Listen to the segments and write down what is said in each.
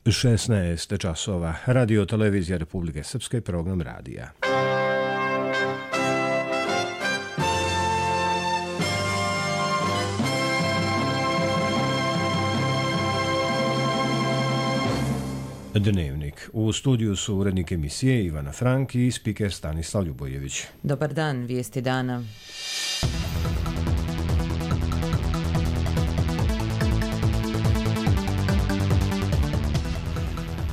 16 časova. Radio televizija Republike Srpske, program radija. Dnevnik. U studiju su urednik emisije Ivana Frank i spiker Stanislav Ljubojević. Dobar dan, vijesti dana.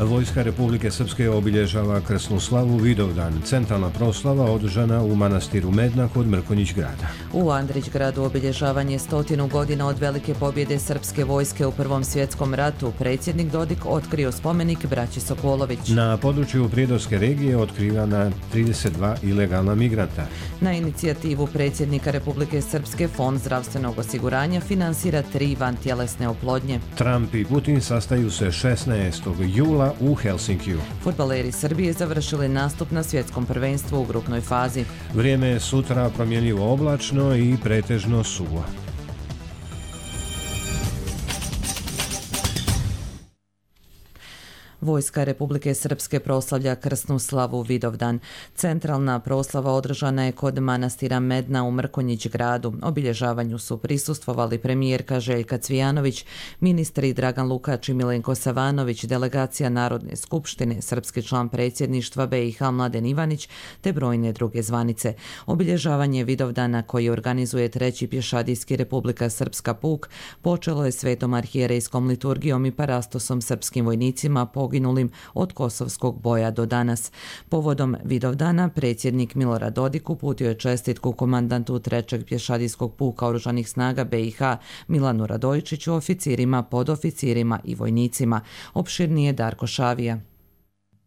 Vojska Republike Srpske obilježava krsnu slavu Vidovdan. Centralna proslava održana u manastiru Medna kod Mrkonjić grada. U Andrić gradu obilježavanje 100 godina od velike pobjede srpske vojske u Prvom svjetskom ratu. Predsjednik Dodik otkrio spomenik braći Sokolović. Na području Prijedorske regije otkrivana 32 ilegalna migranta. Na inicijativu predsjednika Republike Srpske Fond zdravstvenog osiguranja finansira 3 vantjelesne oplodnje. Trump i Putin sastaju se 16. jula u Helsinkiju. Fudbaleri Srbije završili nastup na svjetskom prvenstvu u grupnoj fazi. Vrijeme je sutra promjenjivo oblačno i pretežno suvo. Vojska Republike Srpske proslavlja krsnu slavu Vidovdan. Centralna proslava održana je kod manastira Medna u Mrkonjić gradu. Obilježavanju su prisustvovali premijerka Željka Cvijanović, ministri Dragan Lukač i Milenko Savanović, delegacija Narodne skupštine, srpski član predsjedništva BiH Mladen Ivanić te brojne druge zvanice. Obilježavanje Vidovdana koji organizuje Treći pješadijski Republika Srpska puk počelo je svetom arhijerejskom liturgijom i parastosom srpskim vojnicima poginulim od kosovskog boja do danas. Povodom Vidovdana predsjednik Milorad Dodik uputio je čestitku komandantu Trećeg pješadijskog puka Oružanih snaga BiH Milanu Radojčiću, oficirima, podoficirima i vojnicima. Opširnije Darko Šavija.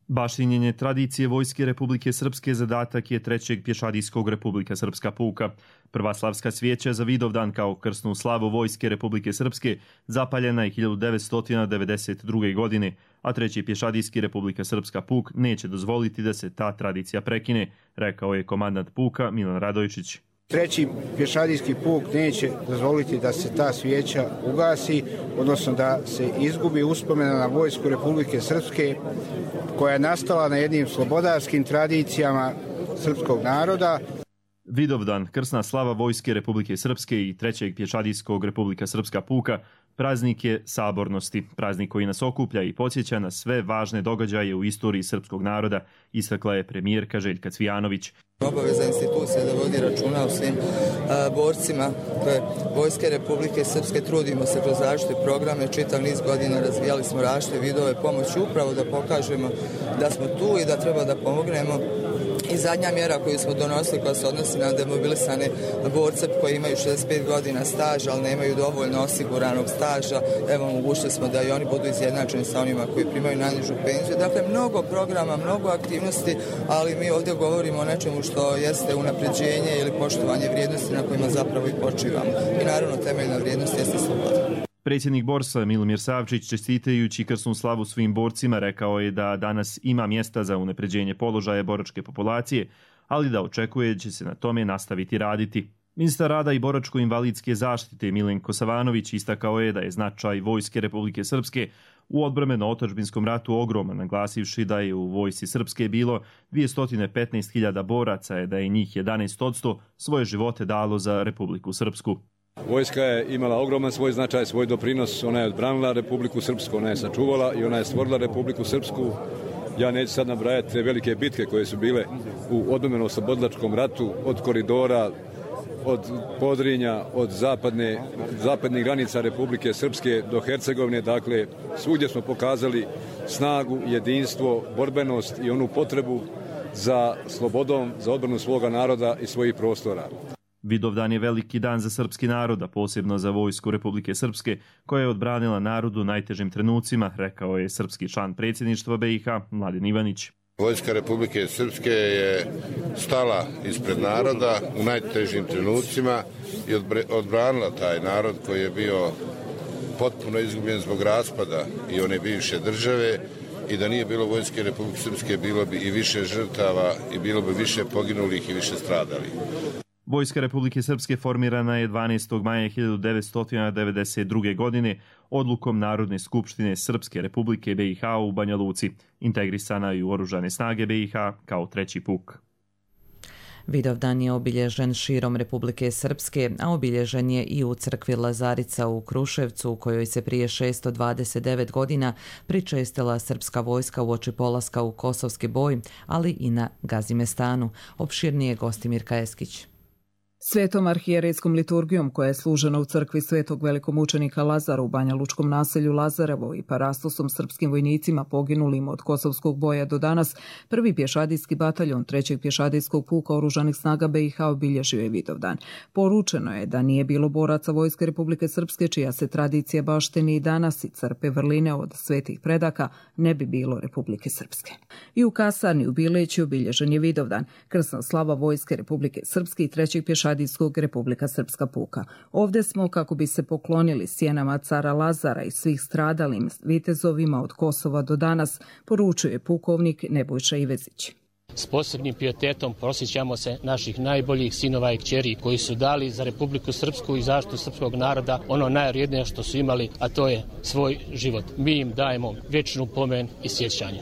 Baštinjenje tradicije Vojske Republike Srpske zadatak je Trećeg pješadijskog Republika Srpska puka. Prva slavska svijeća za Vidovdan kao krsnu slavu Vojske Republike Srpske zapaljena je 1992. godine, a Treći pješadijski Republika Srpska puk neće dozvoliti da se ta tradicija prekine, rekao je komandant puka Milan Radojčić. Treći pješadijski puk neće dozvoliti da se ta svijeća ugasi, odnosno da se izgubi uspomena na Vojsku Republike Srpske koja je nastala na jednim slobodarskim tradicijama srpskog naroda. Vidovdan, krsna slava Vojske Republike Srpske i Trećeg pješadijskog Republika Srpska puka, praznik je sabornosti, praznik koji nas okuplja i podsjeća na sve važne događaje u istoriji srpskog naroda, istakla je premijerka Željka Cvijanović. Obaveza institucije da vodi računa o svim borcima Vojske Republike Srpske. Trudimo se kroz različite programe, čitav niz godina razvijali smo različite vidove pomoći upravo da pokažemo da smo tu i da treba da pomognemo. I zadnja mjera koju smo donosili koja se odnosi na demobilisane borce koji imaju 65 godina staža, ali nemaju dovoljno osiguranog staža, evo omogućili smo da i oni budu izjednačeni sa onima koji primaju najnižu penziju. Dakle, mnogo programa, mnogo aktivnosti, ali mi ovdje govorimo o nečemu što jeste unapređenje ili poštovanje vrijednosti na kojima zapravo i počivamo. I naravno temeljna vrijednost jeste sloboda. Predsjednik Borsa Milomir Savčić, čestitajući krsnu slavu svim borcima, rekao je da danas ima mjesta za unapređenje položaja boračke populacije, ali da očekuje da će se na tome nastaviti raditi. Ministar rada i boračko-invalidske zaštite Milenko Savanović istakao je da je značaj Vojske Republike Srpske u odbrambeno-otadžbinskom ratu ogroman, naglasivši da je u Vojsci Srpske bilo 215.000 boraca, da je njih 11% svoje živote dalo za Republiku Srpsku. Vojska je imala ogroman svoj značaj, svoj doprinos, ona je odbranila Republiku Srpsku, ona je sačuvala i ona je stvorila Republiku Srpsku. Ja neću sad nabrajati te velike bitke koje su bile u odbrambeno-oslobodilačkom ratu, od koridora, od Podrinja, od zapadnih granica Republike Srpske do Hercegovine. Dakle, svugdje smo pokazali snagu, jedinstvo, borbenost i onu potrebu za slobodom, za odbranu svoga naroda i svojih prostora. Vidovdan je veliki dan za srpski narod, a posebno za Vojsku Republike Srpske, koja je odbranila narodu u najtežim trenucima, rekao je srpski član predsjedništva BiH Mladen Ivanić. Vojska Republike Srpske je stala ispred naroda u najtežim trenucima i odbranila taj narod koji je bio potpuno izgubljen zbog raspada i one bivše države, i da nije bilo Vojske Republike Srpske bilo bi i više žrtava i bilo bi više poginulih i više stradalih. Vojska Republike Srpske formirana je 12. maja 1992. godine odlukom Narodne skupštine Srpske Republike BiH u Banja Luci, integrisana i u Oružane snage BiH kao treći puk. Vidovdan je obilježen širom Republike Srpske, a obilježen je i u crkvi Lazarica u Kruševcu, u kojoj se prije 629 godina pričestila srpska vojska uoči polaska u Kosovski boj, ali i na Gazimestanu. Opširnije Gostimir Kajeskić. Svetom arhijerejskom liturgijom koja je služena u crkvi Svetog velikomučenika Lazara u banjalučkom naselju Lazarevo i parastosom srpskim vojnicima poginulim od Kosovskog boja do danas, prvi pješadijski bataljon 3. pješadijskog puka oružanih snaga BiH obilježio je Vidovdan. Poručeno je da nije bilo boraca Vojske Republike Srpske, čija se tradicija baštini i danas i crpe vrline od svetih predaka, ne bi bilo Republike Srpske. I u kasarni u Bileći obilježen je Vidovdan, krsna slava Vojske Republike Srpske i 3. pješadijskog Republika Srpska puka. Ovdje smo kako bi se poklonili sjenama cara Lazara i svih stradalim vitezovima od Kosova do danas, poručuje pukovnik Nebojša Ivezić. S posebnim pijetetom prosjećamo se naših najboljih sinova i kćeri koji su dali za Republiku Srpsku i zaštitu srpskog naroda ono najvrijednije što su imali, a to je svoj život. Mi im dajemo vječnu pomen i sjećanje.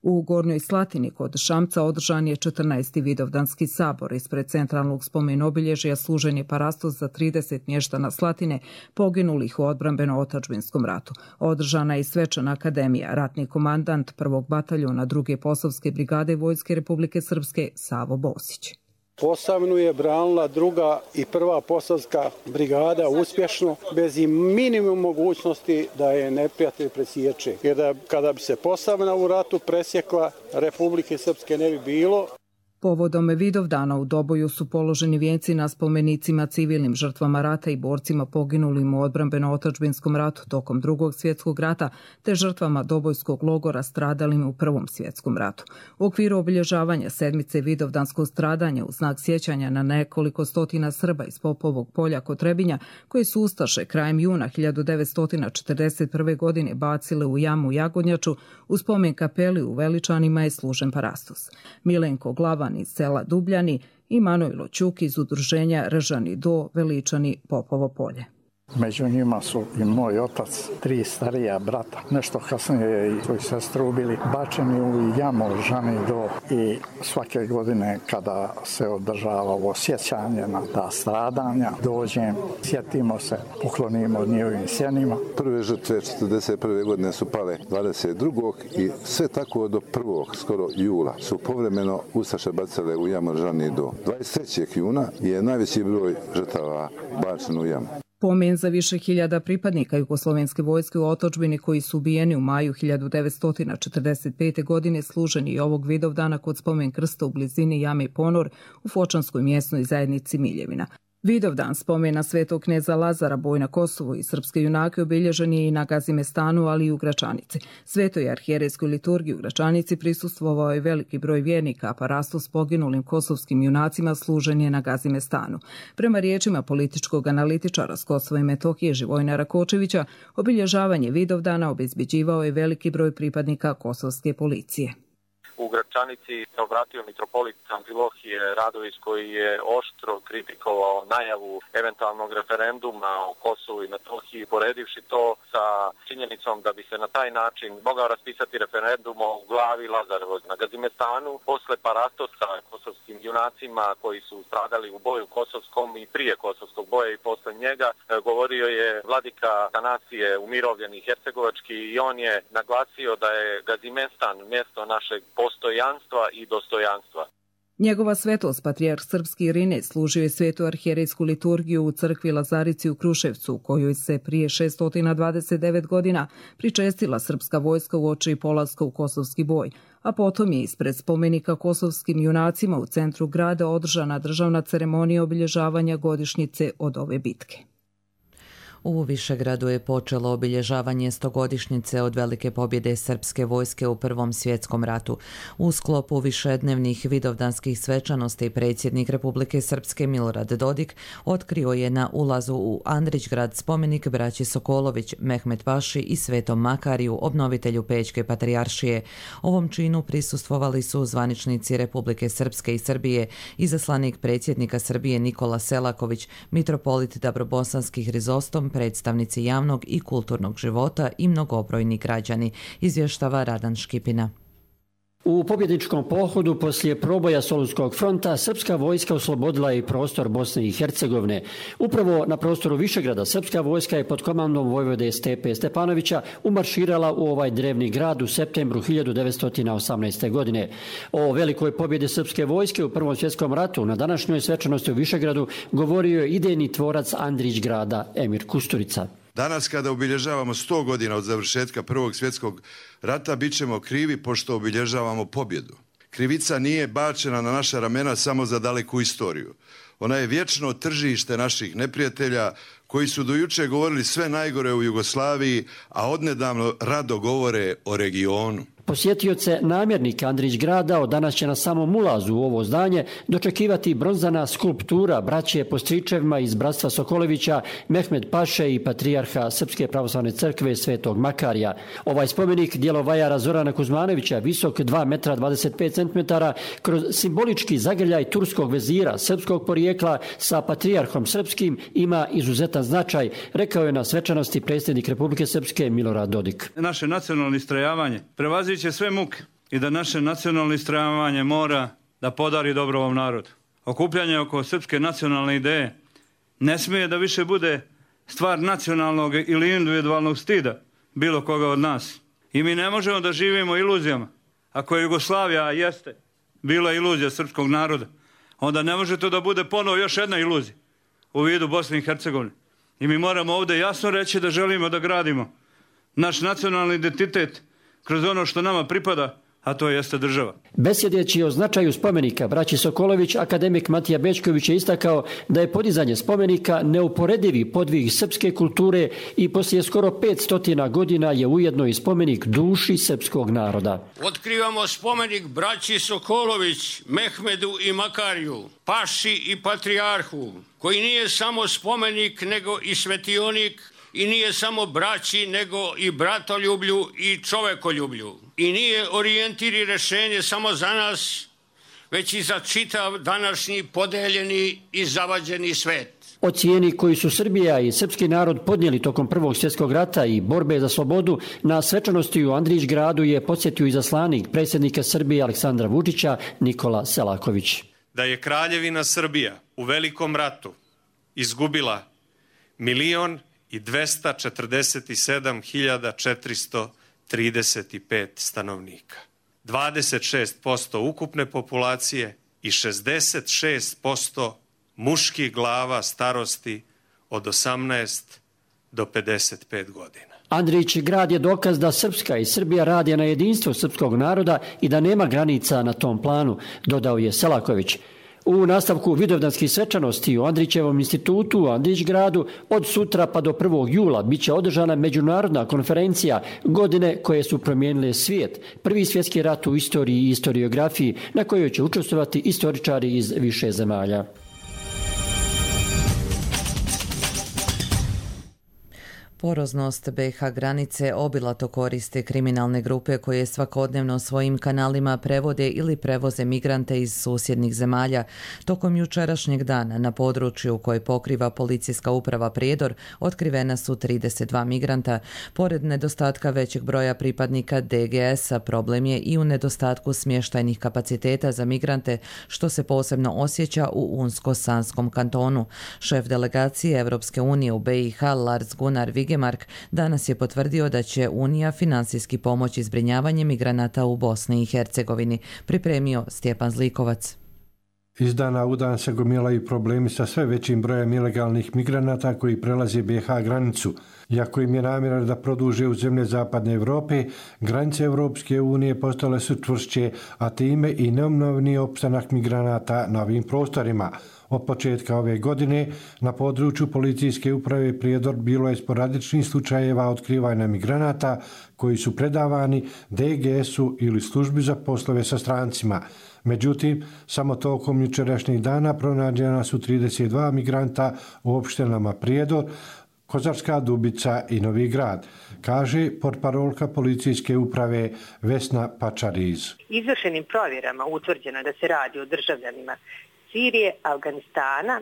U Gornjoj Slatini kod Šamca održan je 14. Vidovdanski sabor. Ispred centralnog spomen-obilježja služen je parastos za 30 mještana Slatine poginulih u odbrambeno-otadžbinskom ratu. Održana je i svečana akademija. Ratni komandant 1. bataljona 2. Posavske brigade Vojske Republike Srpske Savo Bosić. Posavnu je branila 2. i 1. Posavska brigada uspješno, bez i minimum mogućnosti da je neprijatelj presječe. Jer da kada bi se Posavna u ratu presjekla, Republike Srpske ne bi bilo. Povodom Vidovdana u Doboju su položeni vijenci na spomenicima civilnim žrtvama rata i borcima poginulim u odbrambeno-otadžbinskom ratu tokom Drugog svjetskog rata te žrtvama Dobojskog logora stradalim u Prvom svjetskom ratu. U okviru obilježavanja sedmice Vidovdanskog stradanja u znak sjećanja na nekoliko stotina Srba iz Popovog polja kod Trebinja, koji su ustaše krajem juna 1941. godine bacile u jamu Jagodnjaču, u spomen kapeli u Veličanima je služen parastos. Milenko Glavan iz sela Dubljani i Manojlo Ćuk iz udruženja Ržani do Veličani Popovo polje. Među njima su i moj otac, 3 starija brata. Nešto kasnije i svoju sestru ubili, bačeni u jamu Ržani do i svake godine kada se održava ovo sjećanje na ta stradanja, dođem, sjetimo se, poklonimo njihovim sjenima. Prve žrtve 1941. godine su pale 22. i sve tako do 1. skoro jula su povremeno ustaše bacale u jamu Ržani do 23. juna je najveći broj žrtava bačen u jamu. Pomen za više hiljada pripadnika jugoslovenske vojske u otadžbini koji su ubijeni u maju 1945. godine služeni i ovog Vidovdana kod spomen krsta u blizini jame Ponor u Fočanskoj mjesnoj zajednici Miljevina. Vidovdan spomena svetog kneza Lazara, boj na Kosovu i srpske junake obilježen je i na Gazimestanu, ali i u Gračanici. Svetoj arhijerejskoj liturgiji u Gračanici prisustvovao je veliki broj vjernika, a parastos poginulim kosovskim junacima služen je na Gazimestanu. Prema riječima političkog analitičara s Kosova i Metohije Živojna Kočevića, obilježavanje Vidovdana obezbeđivao je veliki broj pripadnika kosovske policije. U Gračanici se obratio mitropolit Amfilohije Radović koji je oštro kritikovao najavu eventualnog referenduma o Kosovu i Metohiji, poredivši to sa činjenicom da bi se na taj način mogao raspisati referendum o glavi Lazarevo na Gazimestanu. Posle parastosa kosovskim junacima koji su stradali u boju kosovskom i prije kosovskog boja i posle njega, govorio je vladika Tanasije umirovljeni hercegovački i on je naglasio da je Gazimestan mjesto našeg postojanstva i dostojanstva. Njegova svetost, patrijarh srpski Irinej, služio je svetu arhijerejsku liturgiju u crkvi Lazarici u Kruševcu, u kojoj se prije 629 godina pričestila srpska vojska uoči polaska u Kosovski boj, a potom je ispred spomenika kosovskim junacima u centru grada održana državna ceremonija obilježavanja godišnjice od ove bitke. U Višegradu je počelo obilježavanje 100-godišnjice od velike pobjede srpske vojske u Prvom svjetskom ratu. U sklopu višednevnih vidovdanskih svečanosti predsjednik Republike Srpske Milorad Dodik otkrio je na ulazu u Andrićgrad spomenik braći Sokolović, Mehmet Paši i Svetom Makariju, obnovitelju Pećke patrijaršije. Ovom činu prisustvovali su zvaničnici Republike Srpske i Srbije, izaslanik predsjednika Srbije Nikola Selaković, mitropolit Dabrobosanski Hrizostom, predstavnici javnog i kulturnog života i mnogobrojni građani, izvještava Radan Škipina. U pobjedničkom pohodu poslije proboja Solunskog fronta srpska vojska oslobodila je i prostor Bosne i Hercegovine. Upravo na prostoru Višegrada srpska vojska je pod komandom vojvode Stepe Stepanovića umarširala u ovaj drevni grad u septembru 1918. godine. O velikoj pobjedi srpske vojske u Prvom svjetskom ratu na današnjoj svečanosti u Višegradu govorio je idejni tvorac Andrićgrada Emir Kusturica. Danas kada obilježavamo 100 godina od završetka Prvog svjetskog rata, bit ćemo krivi pošto obilježavamo pobjedu. Krivica nije bačena na naša ramena samo za daleku istoriju. Ona je vječno tržište naših neprijatelja koji su do juče govorili sve najgore u Jugoslaviji, a odnedavno rado govore o regionu. Posjetioce namjernika Andrićgrada od danas će na samom ulazu u ovo zdanje dočekivati bronzana skulptura braće po stričevima iz bratstva Sokolevića, Mehmet Paše i patrijarha Srpske pravoslavne crkve Svetog Makarija. Ovaj spomenik dijelo vajara Zorana Kuzmanovića, visok 2 metra 25 centimetara, kroz simbolički zagrljaj turskog vezira srpskog porijekla sa patrijarhom srpskim ima izuzetan značaj, rekao je na svečanosti predsjednik Republike Srpske Milorad Dodik. Naše nacionalno istrajavanje prevaziće sve muke i da naše nacionalno istrajavanje mora da podari dobro ovom narodu. Okupljanje oko srpske nacionalne ideje ne smije da više bude stvar nacionalnog ili individualnog stida bilo koga od nas. I mi ne možemo da živimo iluzijama. Ako je Jugoslavija jeste bila iluzija srpskog naroda, onda ne može to da bude ponovo još jedna iluzija u vidu Bosne i Hercegovine. I mi moramo ovdje jasno reći da želimo da gradimo naš nacionalni identitet kroz ono što nama pripada, a to jeste država. Besjedeći o značaju spomenika braći Sokolović, akademik Matija Bečković je istakao da je podizanje spomenika neuporedivi podvig srpske kulture i poslije skoro 500 godina je ujedno i spomenik duši srpskog naroda. Otkrivamo spomenik braći Sokolović, Mehmedu i Makariju, Paši i patrijarhu, koji nije samo spomenik nego i svetionik, i nije samo braći, nego i bratoljublju i čovekoljublju. I nije orijentir i rešenje samo za nas, već i za čitav današnji podeljeni i zavađeni svet. O cijeni koju su Srbija i srpski narod podnijeli tokom Prvog svjetskog rata i borbe za slobodu na svečanosti u Andrićgradu je podsjetio izaslanik predsjednika Srbije Aleksandra Vučića Nikola Selaković. Da je Kraljevina Srbija u Velikom ratu izgubila 1.247.435 stanovnika, 26% ukupne populacije i 66% muških glava starosti od 18 do 55 godina. Andrićgrad je dokaz da Srpska i Srbija rade na jedinstvu srpskog naroda i da nema granica na tom planu, dodao je Selaković. U nastavku vidovdanskih svečanosti u Andrićevom institutu u Andrićgradu od sutra pa do 1. jula biće održana međunarodna konferencija Godine koje su promijenile svijet, prvi svjetski rat u istoriji i historiografiji, na kojoj će učestvovati istoričari iz više zemalja. Poroznost BiH granice obilato koriste kriminalne grupe koje svakodnevno svojim kanalima prevode ili prevoze migrante iz susjednih zemalja. Tokom jučerašnjeg dana na području koje pokriva policijska uprava Prijedor otkrivena su 32 migranta. Pored nedostatka većeg broja pripadnika DGS-a, problem je i u nedostatku smještajnih kapaciteta za migrante, što se posebno osjeća u Unsko-Sanskom kantonu. Šef delegacije Evropske unije u BiH Lars Gunnar Vigemark danas je potvrdio da će Unija finansijski pomoći zbrinjavanje migranata u Bosni i Hercegovini, pripremio Stjepan Zlikovac. Iz dana u dan se gomilaju problemi sa sve većim brojem ilegalnih migranata koji prelaze BiH granicu. Iako im je namjera da produže u zemlje zapadne Europe, granice Europske unije postale su čvršće, a time i neumnovni opstanak migranata na ovim prostorima. Od početka ove godine na području policijske uprave Prijedor bilo je sporadičnih slučajeva otkrivanja migranata koji su predavani DGS-u ili službi za poslove sa strancima. Međutim, samo tokom jučerašnjih dana pronađena su 32 migranta u opštinama Prijedor, Kozarska Dubica i Novi Grad, kaže portparolka policijske uprave Vesna Pačariz. Izvršenim provjerama utvrđeno je da se radi o državljanima Sirije, Afganistana,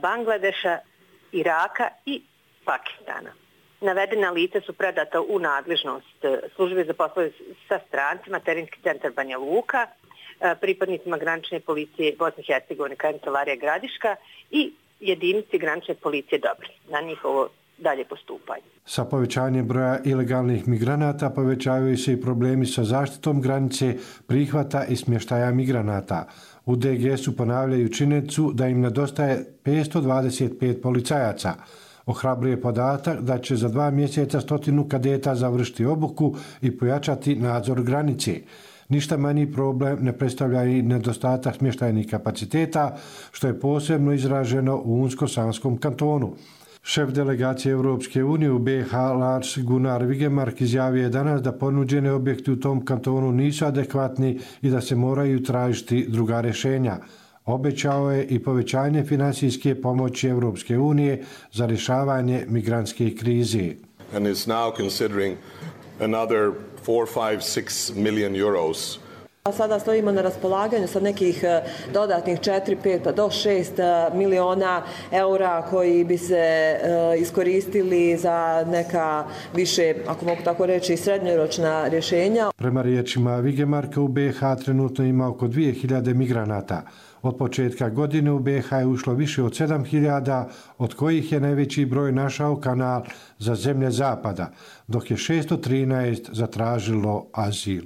Bangladeša, Iraka i Pakistana. Navedena lica su predata u nadležnost službe za poslove sa strancima, terenski centar Banja Luka, pripadnicima granične policije Bosne i Hercegovine, kancelarija Gradiška i jedinici granične policije Dobri na njihovo dalje postupanje. Sa povećanjem broja ilegalnih migranata povećavaju se i problemi sa zaštitom granice, prihvata i smještaja migranata. U DGS-u ponavljaju činjenicu da im nedostaje 525 policajaca. Ohrabruje podatak da će za 2 mjeseca 100 kadeta završiti obuku i pojačati nadzor granice. Ništa manji problem ne predstavlja i nedostatak smještajnih kapaciteta, što je posebno izraženo u Unsko-Sanskom kantonu. Šef delegacije Europske unije u BiH Lars Gunnar Vigemark izjavio je danas da ponuđene objekti u tom kantonu nisu adekvatni i da se moraju tražiti druga rješenja. Obećao je i povećanje financijske pomoći Europske unije za rješavanje migrantske krize. And is now considering another 4-5-6 million euros. Sada stojimo na raspolaganju sa nekih dodatnih 4-5 do 6 miliona eura koji bi se iskoristili za neka više, ako mogu tako reći, srednjoročna rješenja. Prema riječima Vigemarka u BiH trenutno ima oko 2000 migranata. Od početka godine u BiH je ušlo više od 7000, od kojih je najveći broj našao kanal za zemlje zapada, dok je 613 zatražilo azil.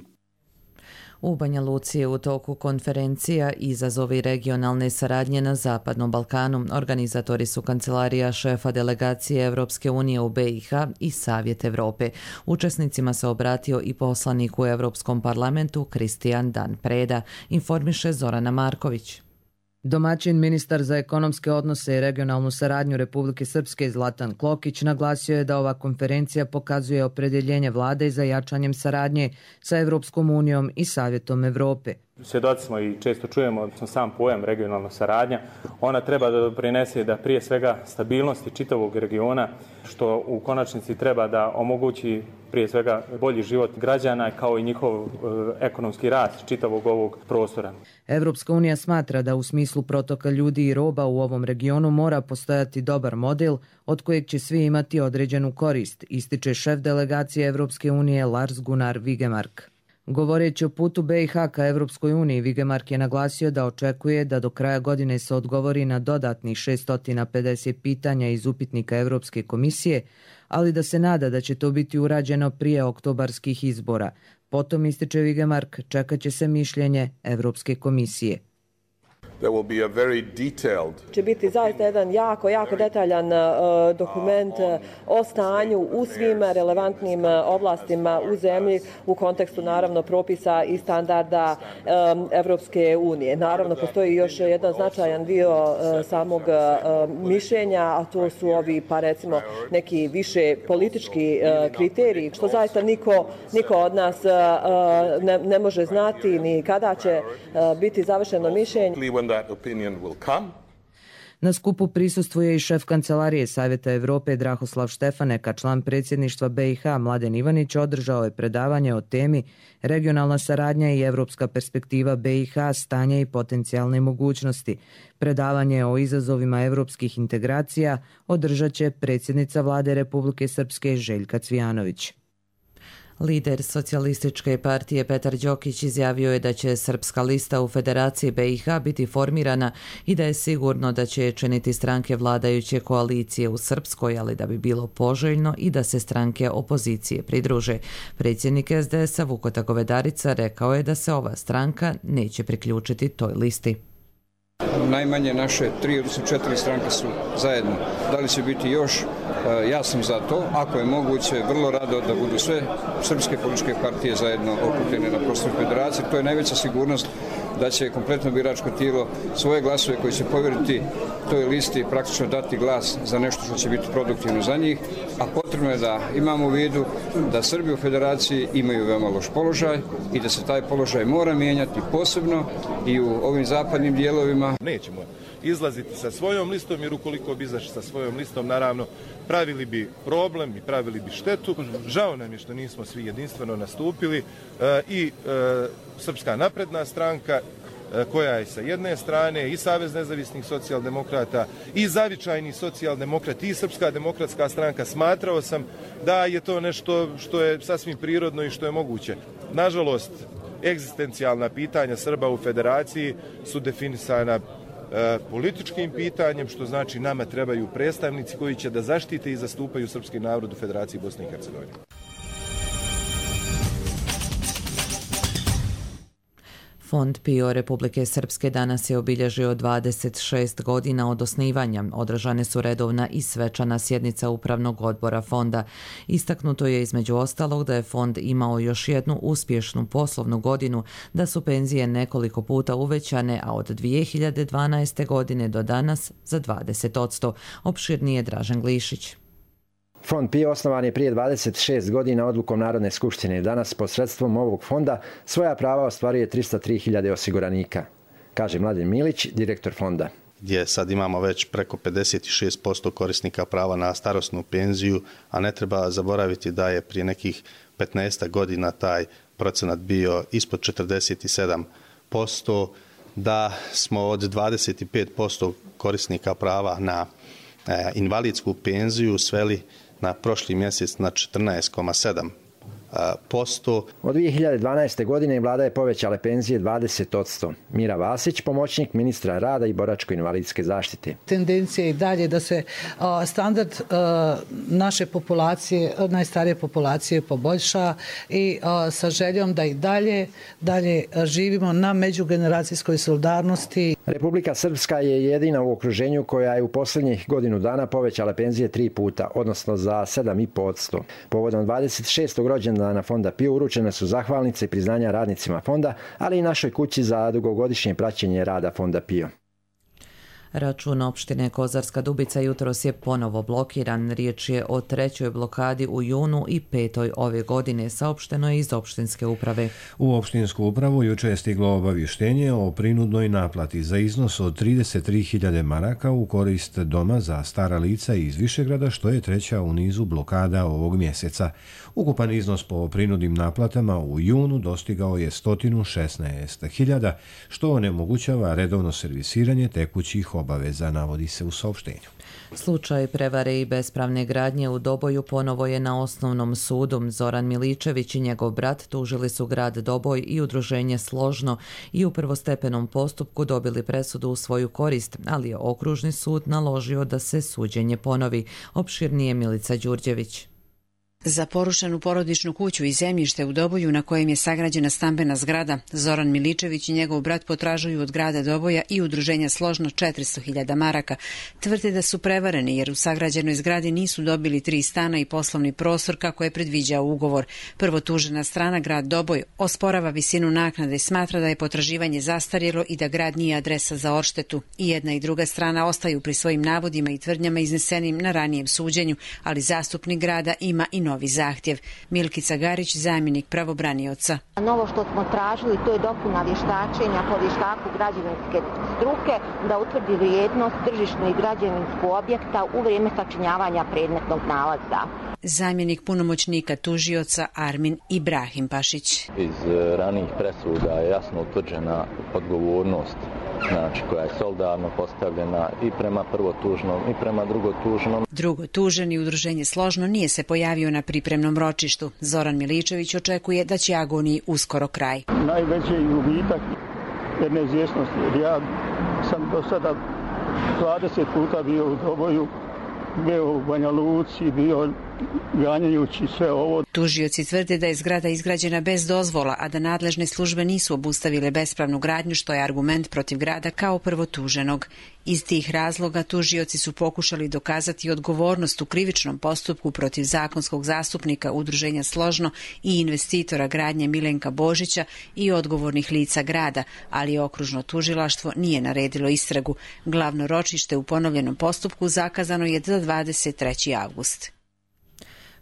U Banja Luci je u toku konferencija Izazovi regionalne saradnje na Zapadnom Balkanu. Organizatori su Kancelarija šefa delegacije Evropske unije u BiH i Savjet Evrope. Učesnicima se obratio i poslanik u Europskom parlamentu Kristijan Dan Preda, informiše Zorana Marković. Domaćin ministar za ekonomske odnose i regionalnu saradnju Republike Srpske Zlatan Klokić naglasio je da ova konferencija pokazuje opredjeljenje vlade za jačanjem saradnje sa Evropskom unijom i Savjetom Evrope. Svjedoci smo i često čujemo sam pojam regionalna saradnja. Ona treba da doprinese da prije svega stabilnosti čitavog regiona, što u konačnici treba da omogući prije svega bolji život građana kao i njihov ekonomski rast čitavog ovog prostora. Evropska unija smatra da u smislu protoka ljudi i roba u ovom regionu mora postojati dobar model od kojeg će svi imati određenu korist, ističe šef delegacije Evropske unije Lars Gunnar Vigemark. Govoreći o putu BiH ka Evropskoj uniji, Vigemark je naglasio da očekuje da do kraja godine se odgovori na dodatnih 650 pitanja iz upitnika Evropske komisije, ali da se nada da će to biti urađeno prije oktobarskih izbora. Potom, ističe Vigemark, čekat će se mišljenje Evropske komisije. Će biti zaista jedan jako detaljan dokument o stanju u svim relevantnim oblastima u zemlji u kontekstu naravno propisa i standarda Evropske unije. Naravno postoji još jedan značajan dio samog mišljenja, a to su ovi pa recimo neki više politički kriteriji, što zaista niko od nas ne može znati ni kada će biti završeno mišljenje. Na skupu prisustvuje i šef Kancelarije Savjeta Evrope Drahoslav Štefaneka, član predsjedništva BiH Mladen Ivanić održao je predavanje o temi Regionalna saradnja i evropska perspektiva BiH, stanje i potencijalne mogućnosti. Predavanje o izazovima evropskih integracija održat će predsjednica vlade Republike Srpske Željka Cvijanović. Lider Socijalističke partije Petar Đokić izjavio je da će Srpska lista u Federaciji BiH biti formirana i da je sigurno da će činiti stranke vladajuće koalicije u Srpskoj, ali da bi bilo poželjno i da se stranke opozicije pridruže. Predsjednik SDS-a Vukota Govedarica rekao je da se ova stranka neće priključiti toj listi. Najmanje naše 3 odnosno 4 stranke su zajedno. Da li će biti još? Ja sam za to. Ako je moguće, vrlo rado da budu sve srpske političke partije zajedno okupljene na prostoru federacije. To je najveća sigurnost da će kompletno biračko tijelo svoje glasove koje će povjeriti toj listi praktično dati glas za nešto što će biti produktivno za njih, a potrebno je da imamo u vidu da Srbi u federaciji imaju veoma loš položaj i da se taj položaj mora mijenjati posebno i u ovim zapadnim dijelovima. Nećemo izlaziti sa svojom listom, jer ukoliko bi izašli sa svojom listom, naravno, pravili bi problem i pravili bi štetu. Žao nam je što nismo svi jedinstveno nastupili i Srpska napredna stranka, koja je sa jedne strane i Savez nezavisnih socijaldemokrata i Zavičajni socijaldemokrati i Srpska demokratska stranka. Smatrao sam da je to nešto što je sasvim prirodno i što je moguće. Nažalost, egzistencijalna pitanja Srba u federaciji su definisana političkim pitanjem, što znači nama trebaju predstavnici koji će da zaštite i zastupaju srpski narod u Federaciji Bosne i Hercegovine. Fond PIO Republike Srpske danas je obilježio 26 godina od osnivanja. Održane su redovna i svečana sjednica Upravnog odbora fonda. Istaknuto je između ostalog da je fond imao još jednu uspješnu poslovnu godinu, da su penzije nekoliko puta uvećane, a od 2012. godine do danas za 20%. Opširnije Dražen Glišić. Fond PIO osnovan je prije 26 godina odlukom Narodne skupštine. Danas posredstvom ovog fonda svoja prava ostvaruje 303.000 osiguranika, kaže Mladen Milić, direktor fonda. Gdje sad imamo već preko 56% korisnika prava na starosnu penziju, a ne treba zaboraviti da je prije nekih 15 godina taj procenat bio ispod 47%, da smo od 25% korisnika prava na invalidsku penziju sveli na prošli mjesec na 14,7%. Od 2012. godine vlada je povećala penzije 20%. Mira Vasić, pomoćnik ministra rada i boračko-invalidske zaštite. Tendencija je i dalje da se standard naše populacije, najstarije populacije poboljša i sa željom da i dalje živimo na međugeneracijskoj solidarnosti. Republika Srpska je jedina u okruženju koja je u posljednjih godinu dana povećala penzije 3 puta, odnosno za 7,5%. Povodom 26. rođendana fonda PIO uručene su zahvalnice i priznanja radnicima fonda, ali i našoj kući za dugogodišnje praćenje rada fonda PIO. Račun opštine Kozarska Dubica jutros je ponovo blokiran. Riječ je o 3. blokadi u junu i 5. ove godine, saopšteno je iz opštinske uprave. U opštinsku upravu juče je stiglo obavještenje o prinudnoj naplati za iznos od 33.000 maraka u korist doma za stara lica iz Višegrada, što je 3. u nizu blokada ovog mjeseca. Ukupan iznos po prinudnim naplatama u junu dostigao je 116.000, što onemogućava redovno servisiranje tekućih obaveza, navodi se u saopštenju. Slučaj prevare i bespravne gradnje u Doboju ponovo je na osnovnom sudu. Zoran Miličević i njegov brat tužili su grad Doboj i udruženje Složno i u prvostepenom postupku dobili presudu u svoju korist, ali je okružni sud naložio da se suđenje ponovi. Opširnije Milica Đurđević. Za porušenu porodičnu kuću i zemljište u Doboju na kojem je sagrađena stambena zgrada, Zoran Miličević i njegov brat potražuju od grada Doboja i udruženja Složno 400.000 maraka. Tvrde da su prevareni jer u sagrađenoj zgradi nisu dobili 3 stana i poslovni prostor kako je predviđao ugovor. Prvotužena strana, grad Doboj, osporava visinu naknade i smatra da je potraživanje zastarjelo i da grad nije adresa za odštetu. I jedna i druga strana ostaju pri svojim navodima i tvrdnjama iznesenim na ranijem suđenju, ali zastupnik grada ima i novi zahtjev. Milkica Garić, zamjenik pravobranioca. Novo što smo tražili, to je dopuna vještačenja po vještaku građevinske struke da utvrdi vrijednost tržišnog i građevinskog objekta u vrijeme sačinjavanja predmetnog nalaza. Zamjenik punomoćnika tužioca Armin Ibrahim Pašić. Iz ranijih presuda je jasno utvrđena odgovornost, znači koja je solidarno postavljena i prema prvotužnom i prema drugotužnom. Drugotuženi udruženje Složno nije se pojavio na pripremnom ročištu. Zoran Miličević očekuje da će agoniji uskoro kraj. Najveći je gubitak jer neizvjesnosti. Ja sam do sada 20 puta bio u Doboju, bio u Banja Luci, bio ganjajući sve ovo. Tužioci tvrde da je zgrada izgrađena bez dozvola, a da nadležne službe nisu obustavile bespravnu gradnju, što je argument protiv grada kao prvotuženog. Iz tih razloga tužioci su pokušali dokazati odgovornost u krivičnom postupku protiv zakonskog zastupnika Udruženja Složno i investitora gradnje Milenka Božića i odgovornih lica grada, ali okružno tužilaštvo nije naredilo istragu. Glavno ročište u ponovljenom postupku zakazano je za 23. avgust.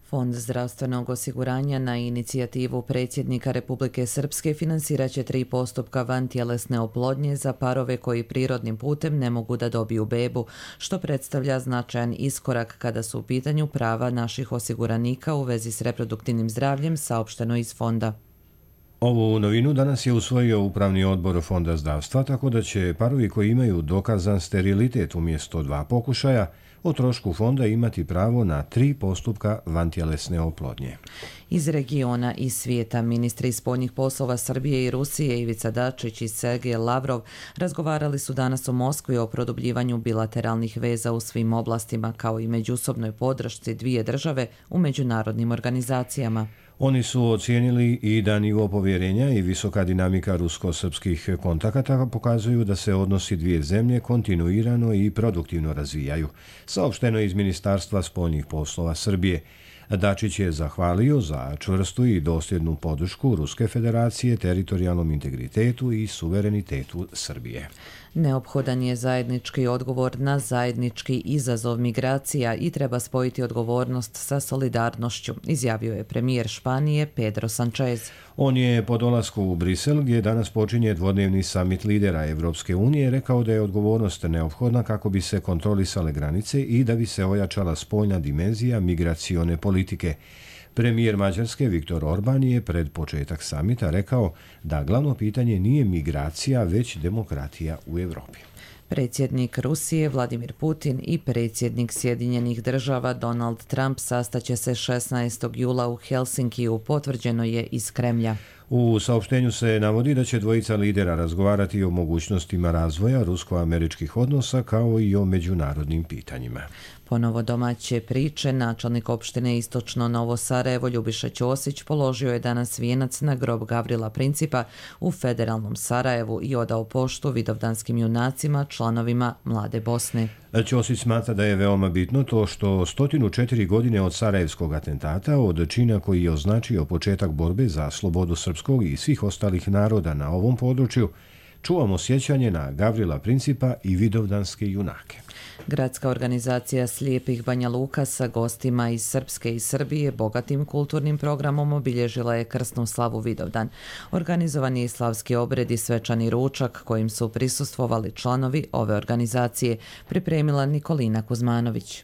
Fond zdravstvenog osiguranja na inicijativu predsjednika Republike Srpske financirat će 3 postupka vantjelesne oplodnje za parove koji prirodnim putem ne mogu da dobiju bebu, što predstavlja značajan iskorak kada su u pitanju prava naših osiguranika u vezi s reproduktivnim zdravljem, saopšteno iz fonda. Ovu novinu danas je usvojio Upravni odbor Fonda zdravstva, tako da će parovi koji imaju dokazan sterilitet umjesto 2 pokušaja o trošku fonda imati pravo na 3 postupka vantjelesne oplodnje. Iz regiona i svijeta ministri spoljnih poslova Srbije i Rusije Ivica Dačić i Sergej Lavrov razgovarali su danas u Moskvi o produbljivanju bilateralnih veza u svim oblastima, kao i međusobnoj podršci dvije države u međunarodnim organizacijama. Oni su ocijenili i da nivo povjerenja i visoka dinamika rusko-srpskih kontakata pokazuju da se odnosi dvije zemlje kontinuirano i produktivno razvijaju, saopšteno iz Ministarstva spoljnih poslova Srbije. Dačić je zahvalio za čvrstu i dosljednu podršku Ruske federacije teritorijalnom integritetu i suverenitetu Srbije. Neophodan je zajednički odgovor na zajednički izazov migracija i treba spojiti odgovornost sa solidarnošću, izjavio je premijer Španije Pedro Sánchez. On je po dolasku u Brisel, gdje danas počinje dvodnevni samit lidera Evropske unije, rekao da je odgovornost neophodna kako bi se kontrolisale granice i da bi se ojačala spoljna dimenzija migracione politike. Premijer Mađarske Viktor Orban je pred početak samita rekao da glavno pitanje nije migracija, već demokratija u Europi. Predsjednik Rusije Vladimir Putin i predsjednik Sjedinjenih država Donald Trump sastaće se 16. jula u Helsinkiju, potvrđeno je iz Kremlja. U saopštenju se navodi da će dvojica lidera razgovarati o mogućnostima razvoja rusko-američkih odnosa kao i o međunarodnim pitanjima. Ponovo domaće priče, načelnik opštine Istočno Novo Sarajevo Ljubiša Ćosić položio je danas vijenac na grob Gavrila Principa u federalnom Sarajevu i odao poštu vidovdanskim junacima, članovima Mlade Bosne. Ćosić smatra da je veoma bitno to što 104 godine od sarajevskog atentata, od čina koji je označio početak borbe za slobodu srpskog i svih ostalih naroda na ovom području, čuvamo sjećanje na Gavrila Principa i vidovdanske junake. Gradska organizacija Slijepih Banja Luka sa gostima iz Srpske i Srbije bogatim kulturnim programom obilježila je krsnu slavu Vidovdan. Organizovan je i slavski obred i svečani ručak kojim su prisustvovali članovi ove organizacije, pripremila Nikolina Kuzmanović.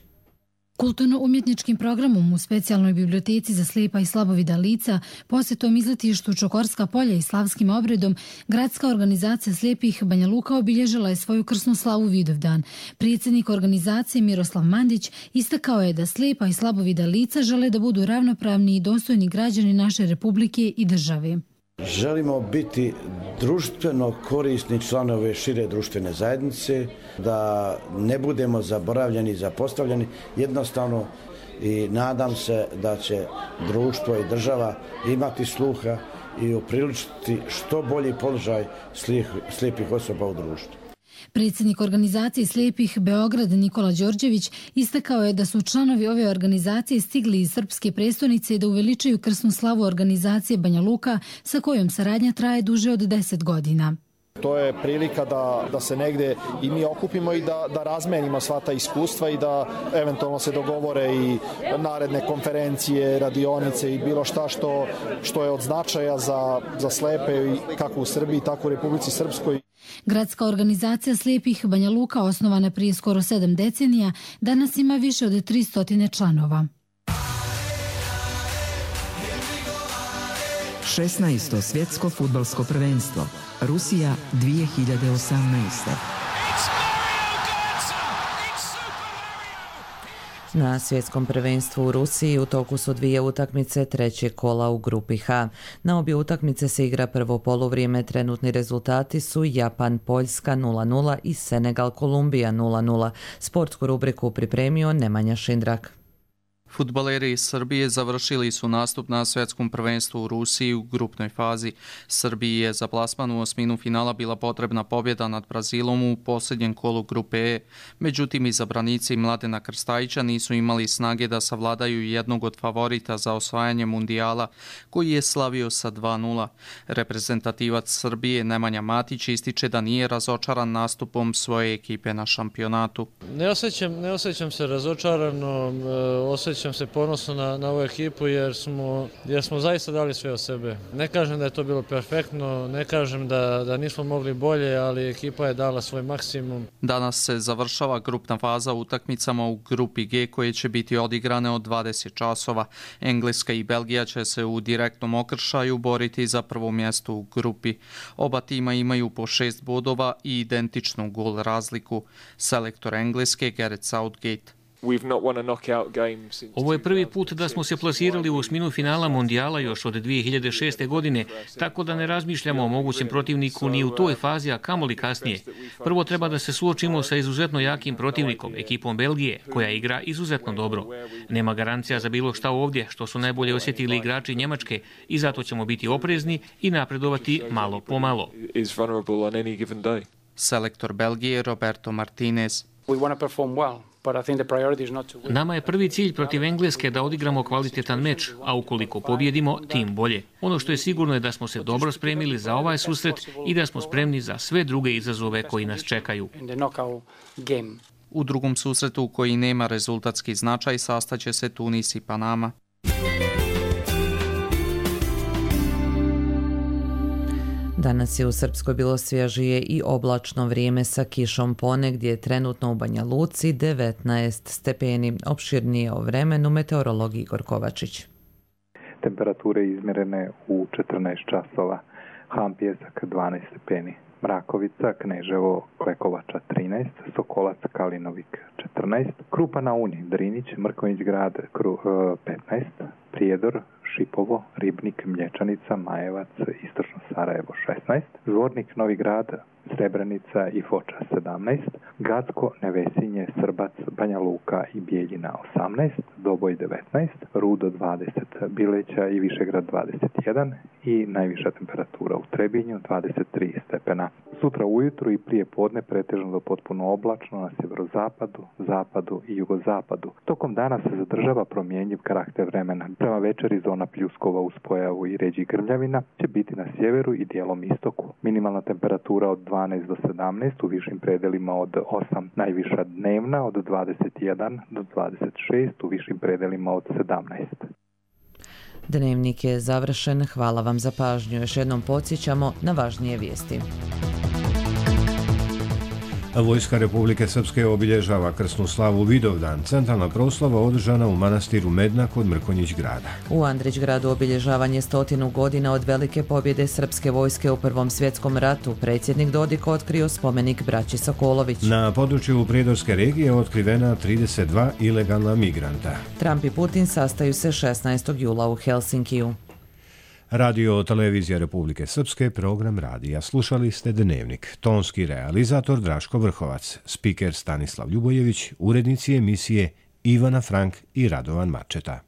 Kulturno-umjetničkim programom u specijalnoj biblioteci za slijepa i slabovida lica, posjetom izletištu Čokorska polja i slavskim obredom, gradska organizacija Slijepih Banja Luka obilježila je svoju krsnu slavu Vidovdan. Predsjednik organizacije Miroslav Mandić istakao je da slijepa i slabovida lica žele da budu ravnopravni i dostojni građani naše republike i države. Želimo biti društveno korisni članovi šire društvene zajednice, da ne budemo zaboravljeni i zapostavljeni, jednostavno, i nadam se da će društvo i država imati sluha i upriličiti što bolji položaj slijepih osoba u društvu. Predsjednik organizacije Slijepih Beograd Nikola Đorđević istakao je da su članovi ove organizacije stigli iz srpske prestonice da uveličaju krsnu slavu organizacije Banja Luka sa kojom saradnja traje duže od 10 godina. To je prilika da se negdje i mi okupimo i da razmenimo sva ta iskustva i da eventualno se dogovore i naredne konferencije, radionice i bilo šta što je od značaja za slepe kako u Srbiji, tako u Republici Srpskoj. Gradska organizacija Slijepih Banja Luka, osnovana prije skoro 7 decenija, danas ima više od 300 članova. 16. svjetsko fudbalsko prvenstvo Rusija 2018. Na svjetskom prvenstvu u Rusiji u toku su 2 utakmice trećeg kola u grupi H. Na obje utakmice se igra prvo poluvrijeme, trenutni rezultati su Japan-Poljska 0-0 i Senegal-Kolumbija 0-0. Sportsku rubriku pripremio Nemanja Šindrak. Fudbaleri iz Srbije završili su nastup na svjetskom prvenstvu u Rusiji u grupnoj fazi. Srbiji je za plasman u osminu finala bila potrebna pobjeda nad Brazilom u posljednjem kolu grupe E. Međutim, izabranici Mladena Krstajića nisu imali snage da savladaju jednog od favorita za osvajanje mundijala, koji je slavio sa 2:0. Reprezentativac Srbije Nemanja Matić ističe da nije razočaran nastupom svoje ekipe na šampionatu. Ne osjećam se razočarano, osjećam se ponosno na ovu ekipu jer smo zaista dali sve od sebe. Ne kažem da je to bilo perfektno, ne kažem da nismo mogli bolje, ali ekipa je dala svoj maksimum. Danas se završava grupna faza utakmicama u grupi G koje će biti odigrane od 20 časova. Engleska i Belgija će se u direktnom okršaju boriti za prvo mjesto u grupi. Oba tima imaju po 6 bodova i identičnu gol razliku. Selektor Engleske Gareth Southgate. Ovo je prvi put da smo se plasirali u osminu finala mondijala još od 2006. godine, tako da ne razmišljamo o mogućem protivniku ni u toj fazi, a kamoli kasnije. Prvo treba da se suočimo sa izuzetno jakim protivnikom, ekipom Belgije, koja igra izuzetno dobro. Nema garancija za bilo šta ovdje, što su najbolje osjetili igrači Njemačke, i zato ćemo biti oprezni i napredovati malo po malo. Selektor Belgije Roberto Martinez. Nama je prvi cilj protiv Engleske da odigramo kvalitetan meč, a ukoliko pobjedimo, tim bolje. Ono što je sigurno je da smo se dobro spremili za ovaj susret i da smo spremni za sve druge izazove koji nas čekaju. U drugom susretu koji nema rezultatski značaj sastaće se Tunis i Panama. Danas je u Srpskoj bilo svježije i oblačno vrijeme sa kišom, ponegdje je trenutno u Banja Luci 19 stepeni. Opširnije o vremenu meteorolog Igor Kovačić. Temperature izmjerene u 14 časova. Ham Pjesak 12 stepeni. Mrakovica, Kneževo, Klekovača 13, Sokolac, Kalinovik 14, Krupa na Uni, Drinić, Mrkonjić grad 15, Prijedor, Šipovo, Ribnik, Mlječanica, Majevac, Istočno Sarajevo 16, Zvornik, Novi grad, Srebrenica i Foča 17, Gacko, Nevesinje, Srbac, Banja Luka i Bijeljina 18, Doboj 19, Rudo 20, Bileća i Višegrad 21 i najviša temperatura u Trebinju 23 stepena. Sutra ujutru i prije podne pretežno do potpuno oblačno na sjeverozapadu, zapadu i jugozapadu. Tokom dana se zadržava promjenjiv karakter vremena. Prema večeri zona pljuskova uz pojavu i ređih grmljavina će biti na sjeveru i dijelom istoku. Minimalna temperatura od 12 do 17, u višim predelima od 8, najviša dnevna od 21 do 26, u višim predelima od 17. Dnevnik je završen. Hvala vam za pažnju. Još jednom podsjećamo na važnije vijesti. Vojska Republike Srpske obilježava krsnu slavu Vidovdan, centralna proslava održana u manastiru Medna kod Mrkonjić grada. U Andrić gradu obilježavanje 100 godina od velike pobjede srpske vojske u Prvom svjetskom ratu. Predsjednik Dodik otkrio spomenik braći Sokolović. Na području Prijedorske regije otkrivena 32 ilegalna migranta. Trump i Putin sastaju se 16. jula u Helsinkiju. Radio Televizija Republike Srpske, program radija. Slušali ste Dnevnik. Tonski realizator Draško Vrhovac, spiker Stanislav Ljubojević, urednici emisije Ivana Frank i Radovan Mačeta.